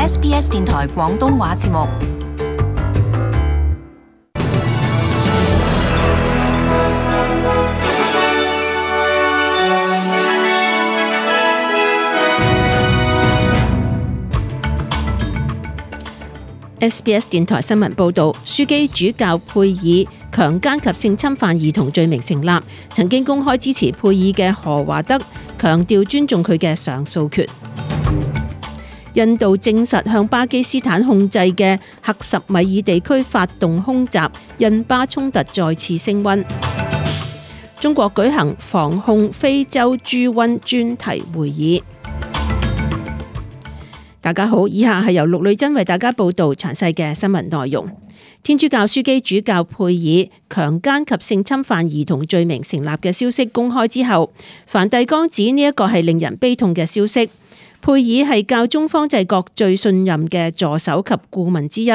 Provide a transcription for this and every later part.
SBS 電台廣東話節目。SBS 電台新聞報導，樞機主教佩爾強姦及性侵犯兒童罪名成立，曾經公開支持佩爾嘅何華德強調尊重佢嘅上訴權。印度證實向巴基斯坦控制嘅克什米爾地區發動空襲，印巴衝突再次升溫。中國舉行防控非洲豬瘟專題會議。大家好，以下係由陸女真為大家報道詳細嘅新聞內容。天主教樞機主教佩爾強姦及性侵犯兒童罪名成立嘅消息公開之後，梵蒂岡指呢一個係令人悲痛嘅消息。佩爾係教宗方濟各最信任嘅助手及顧問之一，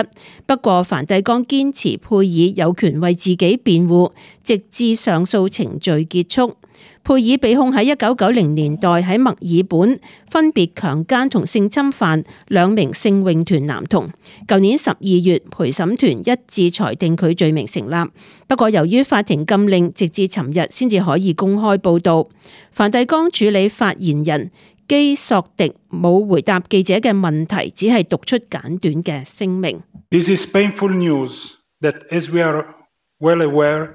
不過梵蒂岡堅持佩爾有權為自己辯護，直至上訴程序結束。佩爾被控喺1990年代喺墨爾本分別強姦同性侵犯2名聖詠團男童。舊年12月，陪審團一致裁定佢罪名成立。不過由於法庭禁令，直至尋日先至可以公開報導。梵蒂岡處理發言人基索迪冇回答記者嘅問題，只係讀出簡短嘅聲明。This is painful news that, as we are well aware,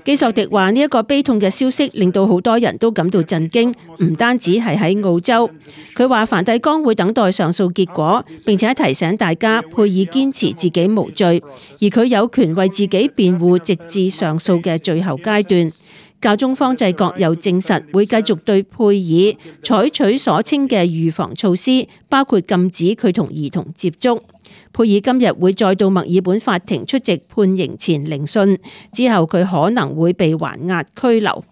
基索迪話：呢一個悲痛嘅消息令到好多人都感到震驚，唔單止係喺澳洲。佢話梵蒂岡會等待上訴結果，並且提醒大家佩爾堅持自己無罪，而佢有權為自己辯護，直至上訴嘅最後階段。教宗方濟各又證實會繼續對佩爾採取所稱嘅預防措施，包括禁止佢同兒童接觸。佩爾今日會再到墨爾本法庭出席判刑前聆訊，之後佢可能會被還押拘留。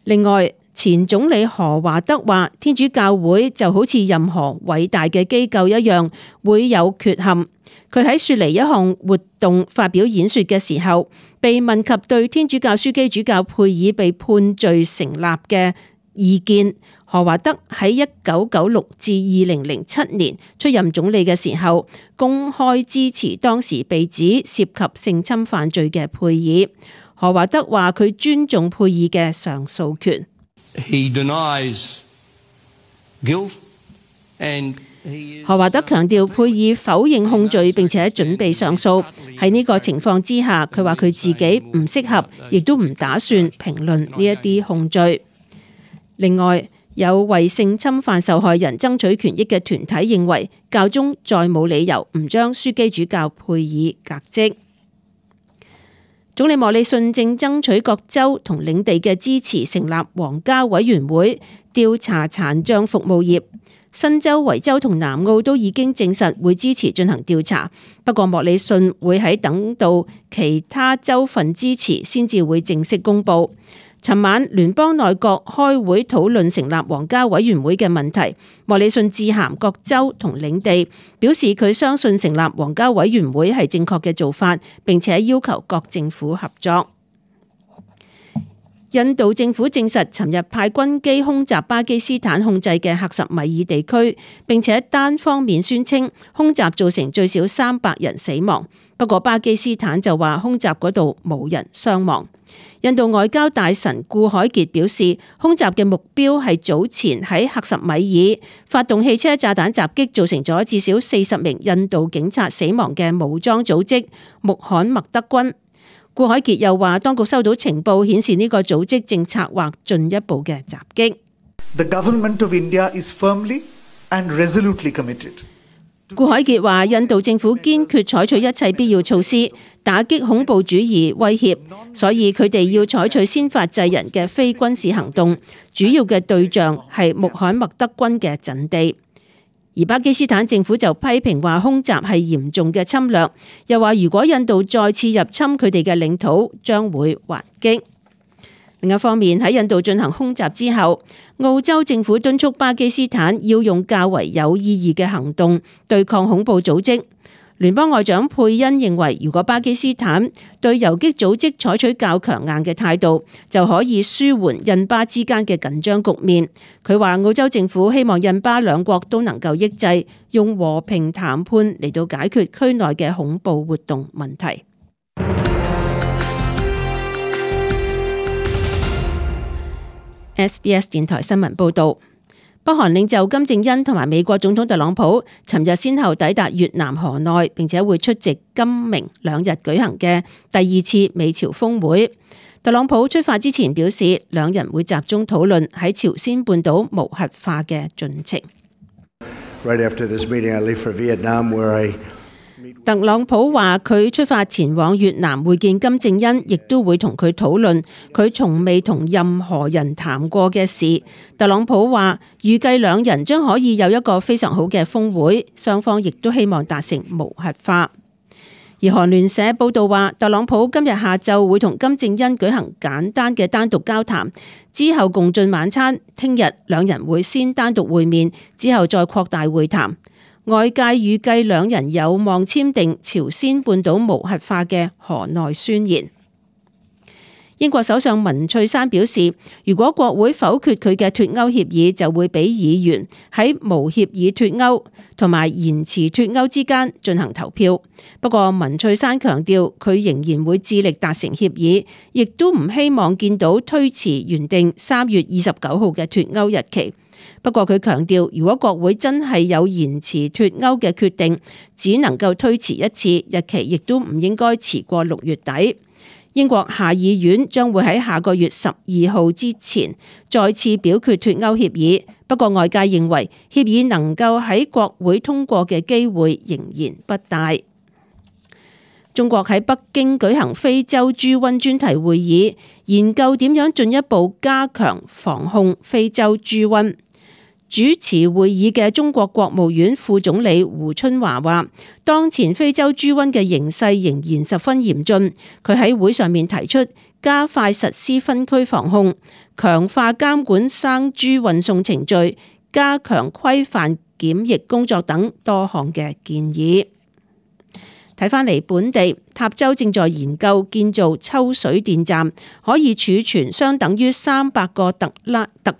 另外，前總理何華德話：天主教會就好似任何偉大嘅機構一樣，會有缺陷。佢喺雪梨一項活動發表演說嘅時候，被問及對天主教樞機主教佩爾被判罪成立嘅意見，何華德喺1996至2007年出任總理嘅時候，公開支持當時被指涉及性侵犯罪嘅佩爾。何華德話佢尊重佩爾嘅上訴權。He denies guilt and何華德強調佩爾否認控罪並且準備上訴。喺呢個情況之下，佢話佢自己唔適合，亦都唔打算評論呢一啲控罪。另外，有為性侵犯受害人爭取權益嘅團體認為，教宗再冇理由唔將樞機主教佩爾革職。總理莫里遜正爭取各州同領地嘅支持，成立皇家委員會調查殘障服務業。新州、維州同南澳都已經證實會支持進行調查，不過莫里遜會喺等到其他州份支持先至會正式公佈。尋晚聯邦內閣開會討論成立皇家委員會嘅問題，莫里遜致函各州同領地，表示佢相信成立皇家委員會係正確嘅做法，並且要求各政府合作。印度政府證實，尋日派軍機空襲巴基斯坦控制嘅克什米爾地區，並且單方面宣稱空襲造成最少300人死亡。不過巴基斯坦就話空襲嗰度冇人傷亡。印度外交大臣顧海傑表示，空襲嘅目標係早前喺克什米爾發動汽車炸彈襲擊，造成咗至少40名印度警察死亡嘅武裝組織穆罕默德軍。顧海傑又話，當局收到情報顯示呢個組織正策劃進一步嘅襲擊。The government of India is firmly and resolutely committed. 顧海傑話，印度政府堅決採取一切必要措施，打擊恐怖主義威脅，所以佢哋要採取先發制人嘅非軍事行動，主要嘅對象係穆罕默德軍嘅陣地。而巴基斯坦政府就批評話空襲係嚴重嘅侵略，又話如果印度再次入侵佢哋嘅領土，將會還擊。另一方面，喺印度進行空襲之後，澳洲政府敦促巴基斯坦要用較為有意義嘅行動對抗恐怖組織。聯邦外長佩恩認為，如果巴基斯坦對游擊組織採取較強硬嘅態度，就可以舒緩印巴之間嘅緊張局面。佢話澳洲政府希望印巴兩國都能夠抑制，用和平談判嚟到解決區內嘅恐怖活動問題。SBS 電台新聞報導。北韓領袖金正恩同埋美國總統特朗普尋日先後抵達越南河內，並且會出席今明兩日舉行嘅第二次美朝峰會。特朗普出發之前表示，兩人會集中討論喺朝鮮半島無核化嘅進程。Right after this meeting, I leave for Vietnam, where特朗普話佢出發前往越南會見金正恩，亦都會同佢討論佢從未同任何人談過嘅事。特朗普話預計兩人將可以有一個非常好嘅峰會，雙方亦都希望達成無核化。而韓聯社報道話，特朗普今日下晝會同金正恩舉行簡單嘅單獨交談，之後共進晚餐。聽日兩人會先單獨會面，之後再擴大會談。外界預計兩人有望簽訂朝鮮半島無核化嘅河內宣言。英國首相文翠珊表示，如果國會否決佢嘅脫歐協議，就會俾議員喺無協議脫歐同埋延遲脫歐之間進行投票。不過文翠珊強調，佢仍然會致力達成協議，亦都唔希望見到推遲原定3月29號嘅脫歐日期。不過佢強調，如果國會真係有延遲脫歐嘅決定，只能夠推遲一次，日期亦都唔應該遲過6月底。英國下議院將會喺下個月12號之前再次表決脫歐協議，不過外界認為協議能夠喺國會通過嘅機會仍然不大。中國喺北京舉行非洲豬瘟專題會議，研究點樣進一步加強防控非洲豬瘟。主持會議嘅中國國務院副總理胡春華話，當前非洲豬瘟嘅形勢仍然十分嚴峻。佢喺會上面提出加快實施分區防控、強化監管生豬運送程序、加強規範檢疫工作等多項嘅建議。睇返嚟本地，塔州正在研究建造抽水電站，可以儲存相等於300個特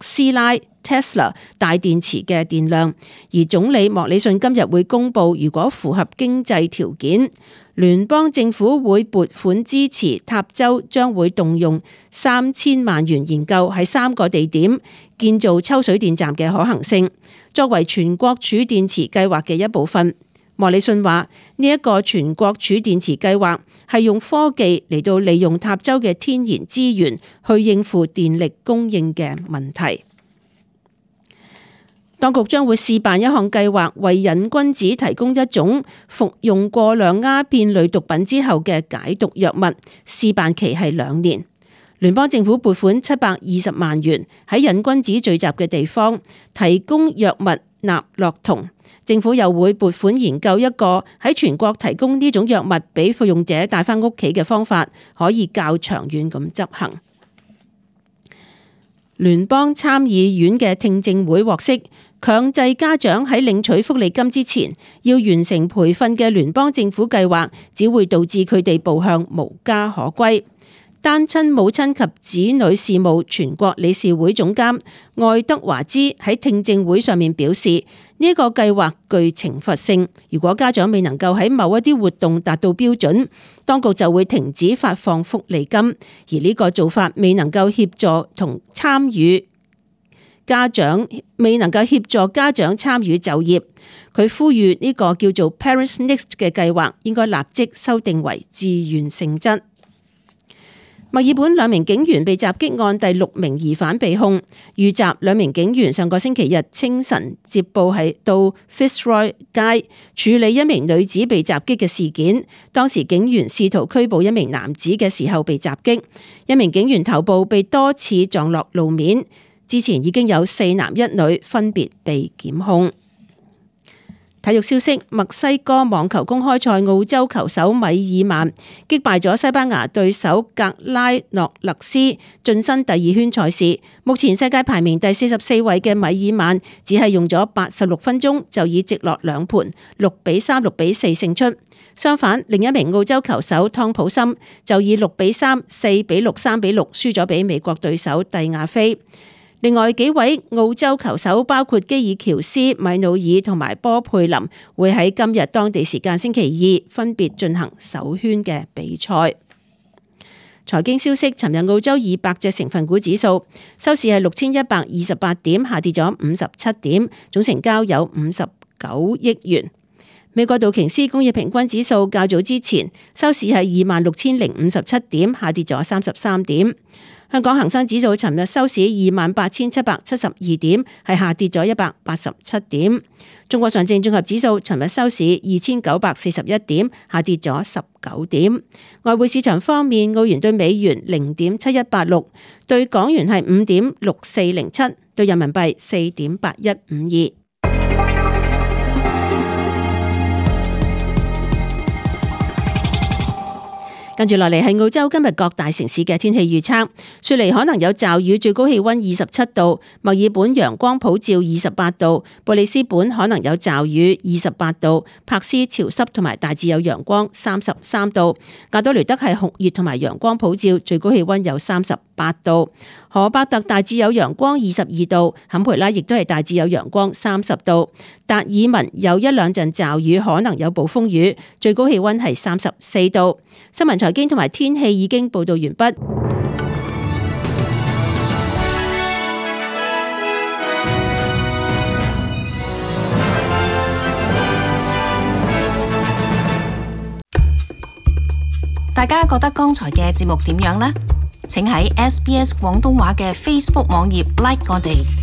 斯拉 Tesla 大電池嘅電量。而總理莫里遜今日會公布，如果符合經濟條件，聯邦政府會撥款支持塔州，將會動用3000萬元研究喺3個地點建造抽水電站嘅可行性，作為全國儲電池計劃嘅一部分。莫里遜話：呢一個全國儲電池計劃係用科技嚟到利用塔州嘅天然資源去應付電力供應嘅問題。當局將會試辦一項計劃，為癮君子提供一種服用過量鴉片類毒品之後嘅解毒藥物，試辦期係2年。聯邦政府撥款720萬元喺癮君子聚集嘅地方提供藥物納洛酮。政府又會撥款研究一個喺全國提供呢種藥物俾服用者帶返屋企嘅方法，可以較長遠咁執行。聯邦參議院嘅聽證會獲悉，強制家長喺領取福利金之前要完成培訓嘅聯邦政府計劃，只會導致佢哋步向無家可歸。單親母親及子女事務全國理事會總監愛德華茲喺聽證會上面表示，呢個計劃具懲罰性，如果家長未能夠喺某一啲活動達到標準，當局就會停止發放福利金，而呢個做法未能夠協助家長參與就業。佢呼籲呢個叫做 Parents Next 嘅計劃應該立即修訂為自願性質。墨爾本2名警員被襲擊案第6名疑犯被控，遇襲2名警員上個星期日清晨接報係到 Fitzroy 街處理一名女子被襲擊嘅事件。當時警員試圖拘捕一名男子嘅時候被襲擊，一名警員頭部被多次撞落路面。之前已經有4男1女分別被檢控。體育消息：墨西哥網球公開賽澳洲球手米爾曼擊敗咗西班牙對手格拉諾勒斯，晉身第2圈賽事。目前世界排名第44位嘅米爾曼只係用咗86分鐘就以直落2盤6-3、6-4勝出。相反，另一名澳洲球手湯普森就以6-3、4-6、3-6輸咗俾美國對手蒂亞菲。另外幾位澳洲球手包括基爾喬斯、米努爾同埋波佩林，會喺今日當地時間星期2分別進行首圈嘅比賽。財經消息：尋日澳洲200隻成分股指數收市係6128點，下跌咗57點，總成交有59億元。美國道瓊斯工業平均指數較早之前收市係26057點，下跌咗33點。香港恒生指數尋日收市28772點，係下跌咗187點。中國上證綜合指數尋日收市2941點，下跌咗19點。外匯市場方面，澳元對美元0.7186，對港元係5.6407，對人民幣4.8152。跟住落嚟係澳洲今日各大城市嘅天氣預測。雪梨可能有驟雨，最高氣溫27度；墨爾本陽光普照28度；布里斯本可能有驟雨28度；柏斯潮濕同埋大致有陽光33度；亞多雷德係酷熱同埋陽光普照，最高氣溫有38度；荷伯特大致有陽光22度；坎培拉亦都係大致有陽光30度；達爾文有一兩陣驟雨，可能有暴風雨，最高氣溫係34度。新聞財經同埋天氣已經報道完畢。大家覺得剛才嘅節目點樣呢？請喺SBS 廣東話嘅 Facebook 網頁 like 我哋。